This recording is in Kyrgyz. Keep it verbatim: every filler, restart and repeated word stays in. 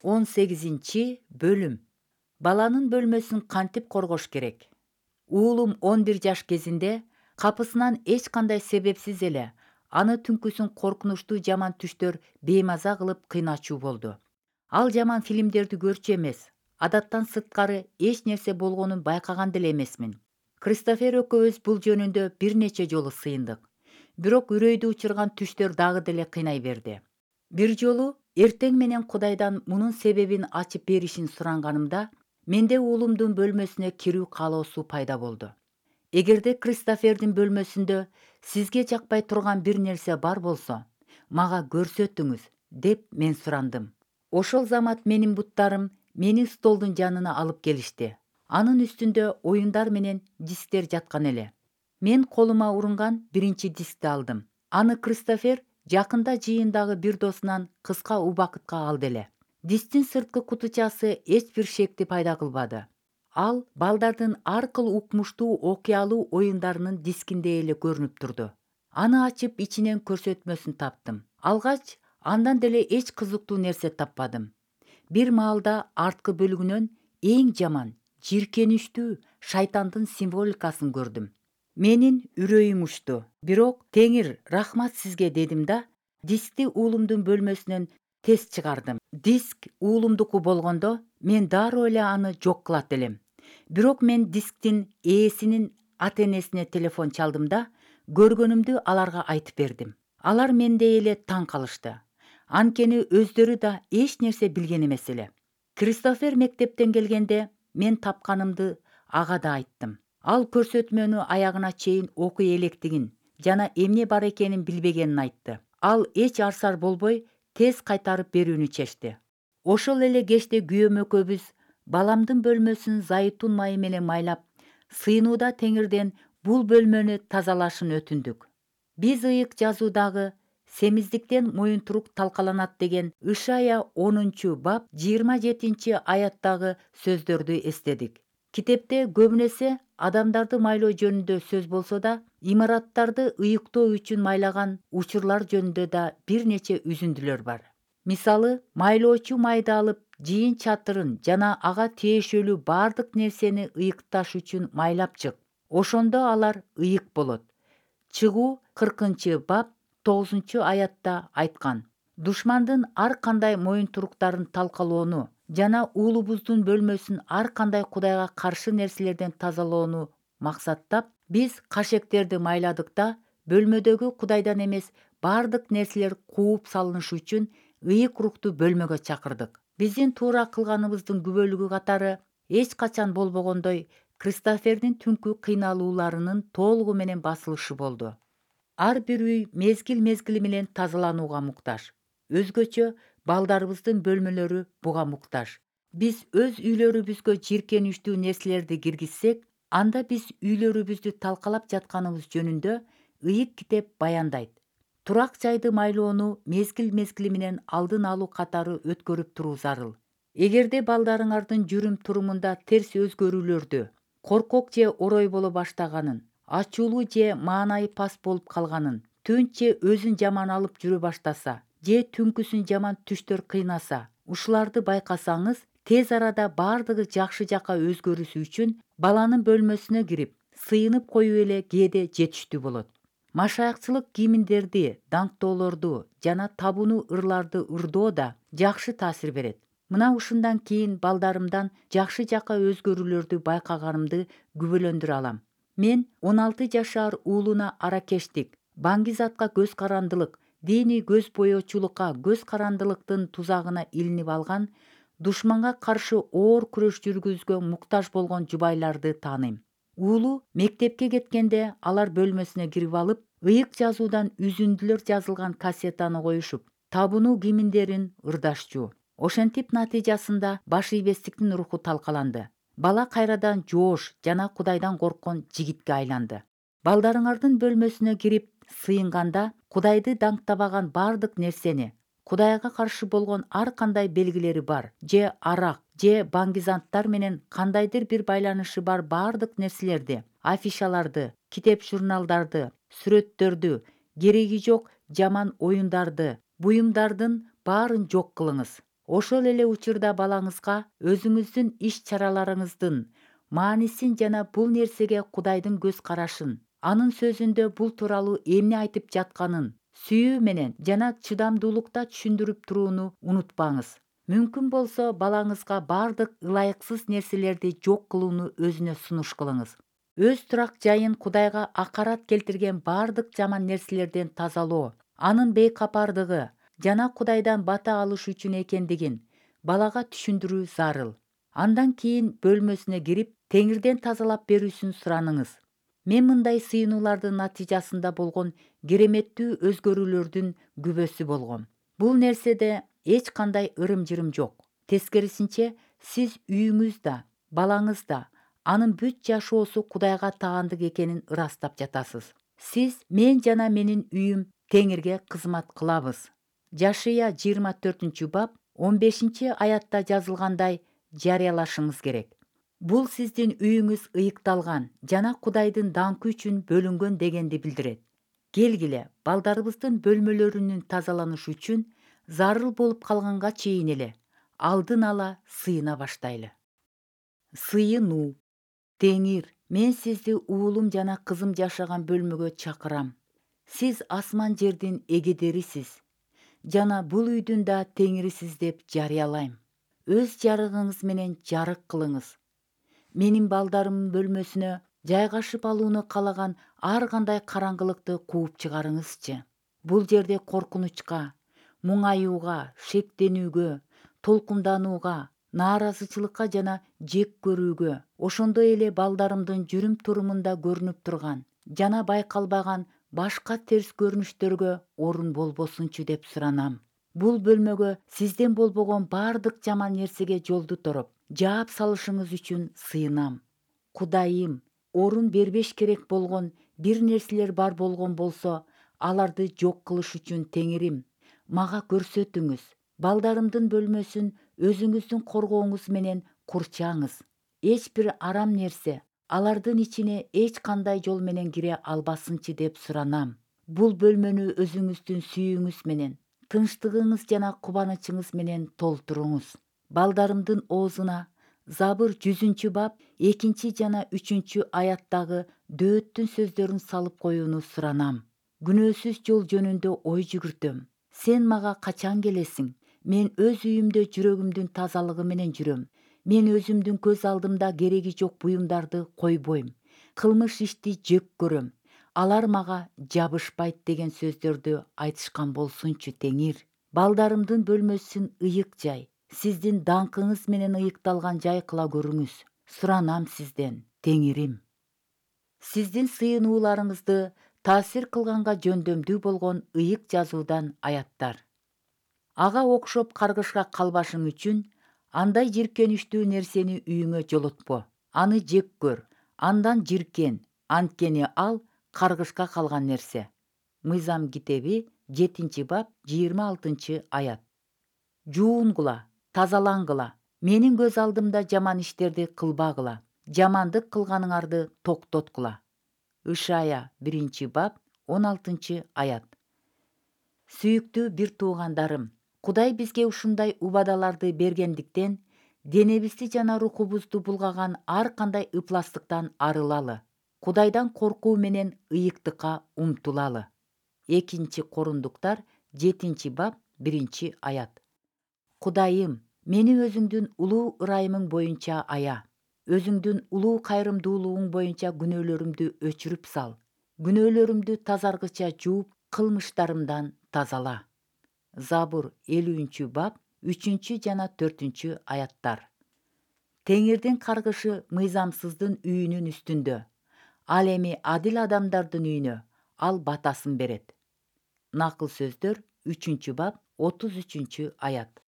он сегизинчи бөлүм. Баланын бөлмөсүн кантип коргош керек? Уулум он бир жаш кезинде капысынан эч кандай себепсиз эле аны түнкүсүн коркунучтуу жаман түштөр беймаза кылып кыйначуу болду. Ал жаман фильмдерди көрчү эмес, адаттан сырткары эч нерсе болгонун байкаган деле эмесмин. Кристофер экөөбүз бул жөнүндө бир нече жолу сыйындык. Бирок үрөйдү учурган түштөр дагы деле кыйнай берди. Бир жолу эртең менен Кудайдан мунун себебин ачып беришин суранганымда, менде уулумдун бөлмөсүнө кирүү каалоосу пайда болду. Эгерде Кристофердин бөлмөсүндө сизге жакпай турган бир нерсе бар болсо, мага көрсөтүңүз, деп мен сурандым. Ошол замат менин буттарым мени столдун жанына алып келишти. Анын үстүндө оюндар менен дисктер жаткан эле. Мен колума урунган биринчи дискти алдым. Аны Кристофер жакында жыйындагы бир досунан кыска убакытка алды эле. Дисктин сырткы кутучасы эч бир шекти пайда кылбады. Ал балдардын ар кыл укмуштуу окуялуу оюндарынын дискиндей эле көрүнүп турду. Аны ачып ичинен көрсөтмөсүн таптым. Алгач андан деле эч кызыктуу нерсе таппадым. Бир маалда арткы бөлүгүнөн эң жаман, жийиркеничтүү шайтандын символикасын көрдүм. Менин үрөйүм учту. Бирок Теңир рахмат сизге дедим да, дискти уулумдун бөлмөсүнөн тез чыгардым. Диск уулумдуку болгондо мен дароо эле аны жок кылат элем. Бирок мен дисктин ээсинин ата-энесине телефон чалдым да, көргөнүмдү аларга айтып бердим. Алар мендей эле таң калышты. Анткени өздөрү да эч нерсе билген эмес эле. Кристофер мектептен келгенде мен тапканымды ага да айттым. Ал көрсөтмөнү аягына чейин окуй электигин жана эмне бар экенин билбегенин айтты. Ал эч арсар болбой тез кайтарып берүүнү чечти. Ошол эле кечте күйөөм экөөбүз баламдын бөлмөсүн зайтун майы менен майлап, сыйынууда Теңирден бул бөлмөнү тазалашын өтүндүк. Биз ыйык жазуудагы семиздиктен моюнтурук талкаланат деген Ишая онунчу бап жыйырма жетинчи аяттагы сөздөрдү эстедик. Китепте көбүн эсе адамдарды майлоо жөнүндө сөз болсо да, имараттарды ыйыктоо үчүн майлаган учурлар жөнүндө да бир нече үзүндүлөр бар. Мисалы, майлоочу майды алып, жыйын чатырын жана ага тиешелүү бардык нерсени ыйыкташ үчүн майлап чык. Ошондо алар ыйык болот. Чыгуу кыркынчы бап тогузунчу аятта айткан. Душмандын ар кандай моюнтуруктарын талкалоону жана уулубуздун бөлмөсүн ар кандай Кудайга каршы нерселерден тазалоону максаттап, биз кашектерди майладык да, бөлмөдөгү Кудайдан эмес бардык нерселер кууп салынышы үчүн ыйык рухту бөлмөгө чакырдык. Биздин туура кылганыбыздын күбөлүгү катары эч качан болбогондой Кристофердин түнкү кыйналууларынын толугу менен басылышы болду. Ар бир үй мезгил-мезгили менен тазаланууга муктаж. Өзгөчө балдарыбыздын бөлмөлөрү буга муктаж. Биз өз үйлөрүбүзгө жийиркеничтүү нерселерди киргизсек, анда биз үйлөрүбүздү талкалап жатканыбыз жөнүндө ыйык китеп баяндайт. Турак жайды майлоону мезгил-мезгили менен алдын алуу катары өткөрүп туруу зарыл. Эгерде балдарыңардын жүрүм-турумунда терс өзгөрүүлөрдү, коркок же орой боло баштаганын, ачуулуу же маанайы пас болуп калганын, түнт же өзүн жаман алып жүрө баштаса, же түнкүсүн жаман түштөр кыйнаса, ушуларды байкасаңыз, тез арада бардыгы жакшы жакка өзгөрүшү үчүн баланын бөлмөсүнө кирип, сыйынып коюу эле кээде жетиштүү болот. Машаякчылык кийимдерди, даңктоолорду жана табууну ырларды ырдоо да жакшы таасир берет. Мына ушундан кийин балдарымдан жакшы жакка өзгөрүүлөрдү байкаганымды күбөлөндүрө алам. Мен он алты жашар уулуна аракештик, баңгизатка көз карандылык, диний көз боечулукка көз карандылыктын тузагына илинип алган, душманга каршы оор күрөш жүргүзүүгө муктаж болгон жубайларды тааныйм. Уулу мектепке кеткенде алар бөлмөсүнө кирип алып, ыйык жазуудан үзүндүлөр жазылган кассетаны коюшуп, табынуу кийимдерин ырдашчу. Ошентип натыйжасында баш ийбестиктин руху талкаланды. Бала кайрадан жоош жана Кудайдан корккон жигитке айланды. Балдарыңардын бөлмөсүнө кирип сыйынганда Кудайды даңктабаган бардык нерсени, Кудайга каршы болгон ар кандай белгилери бар, же арак, же баңгизанттар менен кандайдыр бир байланышы бар бардык нерселерди, афишаларды, китеп журналдарды, сүрөттөрдү, кереги жок жаман оюндарды, буюмдардын баарын жок кылыңыз. Ошол эле учурда балаңызга өзүңүздүн иш чараларыңыздын маанисин жана бул нерсеге Кудайдын көз карашын, анын сөзүндө бул тууралуу эмне айтып жатканын сүйүү менен жана чыдамдуулукта түшүндүрүп турууну унутпаңыз. Мүмкүн болсо балаңызга бардык ылайыксыз нерселерди жок кылууну өзүнө сунуш кылыңыз. Өз турак жайын Кудайга акарат келтирген бардык жаман нерселерден тазалоо, анын бейкапардыгы жана Кудайдан бата алыш үчүн экендигин балага түшүндүрүү зарыл. Андан кийин бөлмөсүнө кирип, Теңирден тазалап берүүсүн сураныңыз. Мен мындай сыйынуулардын натыйжасында болгон кереметтүү өзгөрүүлөрдүн күбөсү болгом. Бул нерседе эч кандай ырым-жырым жок. Тескерисинче, сиз үйүңүз да, балаңыз да, анын бүт жашоосу Кудайга таандык экенин ырастап жатасыз. Сиз мен жана менин үйүм Теңирге кызмат кылабыз. Жашыя жыйырма төртүнчү бап он бешинчи аятта жазылгандай жарыялашыңыз керек. Бул сиздин үйүңүз ыйыкталган жана Кудайдын даңкы үчүн бөлүнгөн дегенди билдирет. Келгиле, балдарыбыздын бөлмөлөрүнүн тазаланышы үчүн зарыл болуп калганга чейин эле алдын ала сыйына баштайлы. Сыйынуу. Теңир, мен сизди уулум жана кызым жашаган бөлмөгө чакырам. Сиз асман жердин эгедерисиз жана бул үйдүн да теңирисиз деп жарыялайм. Өз жарыгыңыз менен жарык кылыңыз. Менин балдарымдын бөлмөсүнө жайгашып алууну калаган ар кандай караңгылыкты кууп чыгарыңызчы. Бул жерде коркунучка, муңаюуга, шектенүүгө, толкунданууга, нааразычылыкка жана жек көрүүгө, ошондой эле балдарымдын жүрүм-турумунда көрүнүп турган жана байкалбаган башка терс көрүнүштөргө орун болбосунчу деп суранам. Бул бөлмөгө сизден болбогон бардык жаман нерсеге жолду тороп, жаап салышыңыз үчүн сыйынам. Кудайым, орун бербеш керек болгон бир нерселер бар болгон болсо, аларды жок кылыш үчүн Теңирим, мага көрсөтүңүз. Балдарымдын бөлмөсүн өзүңүздүн коргооңуз менен курчаңыз. Эч бир арам нерсе алардын ичине эч кандай жол менен кире албасынчы деп суранам. Бул бөлмөнү өзүңүздүн сүйүүңүз менен, тынчтыгыңыз жана кубанычыңыз менен толтуруңуз. Балдарымдын оозуна Забыр жүзүнчү бап экинчи жана үчүнчү аяттагы дөөттүн сөздөрүн салып коюуну суранам. Күнөөсүз жол жөнүндө ой жүгүртөм. Сен мага качан келесиң? Мен өз үйүмдө жүрөгүмдүн тазалыгы менен жүрөм. Мен өзүмдүн көз алдымда кереги жок буюмдарды койбойм. Кылмыш ишти жек көрөм. Алар мага жабышпайт деген сөздөрдү айтышкан болсунчу Теңир. Балдарымдын бөлмөсүн ыйык жай, сиздин даңкыңыз менен ыйыкталган жай кыла көрүңүз. Суранам сизден, Теңирим. Сиздин сыйынууларыңызды таасир кылганга жөндөмдүү болгон ыйык жазуудан аяттар. Ага окшоп каргышка калбашың үчүн андай жиркеништүү нерсени үйүңө жолотпо. Аны жек көр, андан жиркен, анткени ал каргышка калган нерсе. Мыйзам китеби жетинчи бап жыйырма алтынчы аят. Жуунгула, тазалангыла. Менин көз алдымда жаман иштерди кылбагыла. Жамандык кылганыңарды токтоткула. Ышая биринчи бап он алтынчы аят. Сүйүктүү бир туугандарым, Кудай бизге ушундай убадаларды бергендиктен денебизди жана рухубузду булгаган ар кандай ыпластыктан арылалы. Кудайдан коркуу менен ыйыктыкка умтулалы. Экинчи Корундуктар жетинчи бап биринчи аят. Кудайым, мени өзүңдүн улуу ырайымың боюнча ая. Өзүңдүн улуу кайрымдуулугуң боюнча күнөөлөрүмдү өчүрүп сал. Күнөөлөрүмдү тазаргыча жууп, кылмыштарымдан тазала. Забур элүүнчү бап үчүнчү жана төртүнчү аяттар. Теңирдин каргышы мыйзамсыздын үйүнүн үстүндө. Ал эми адил адамдардын үйүнө ал батасын берет. Накыл сөздөр үчүнчү бап отуз үчүнчү аят.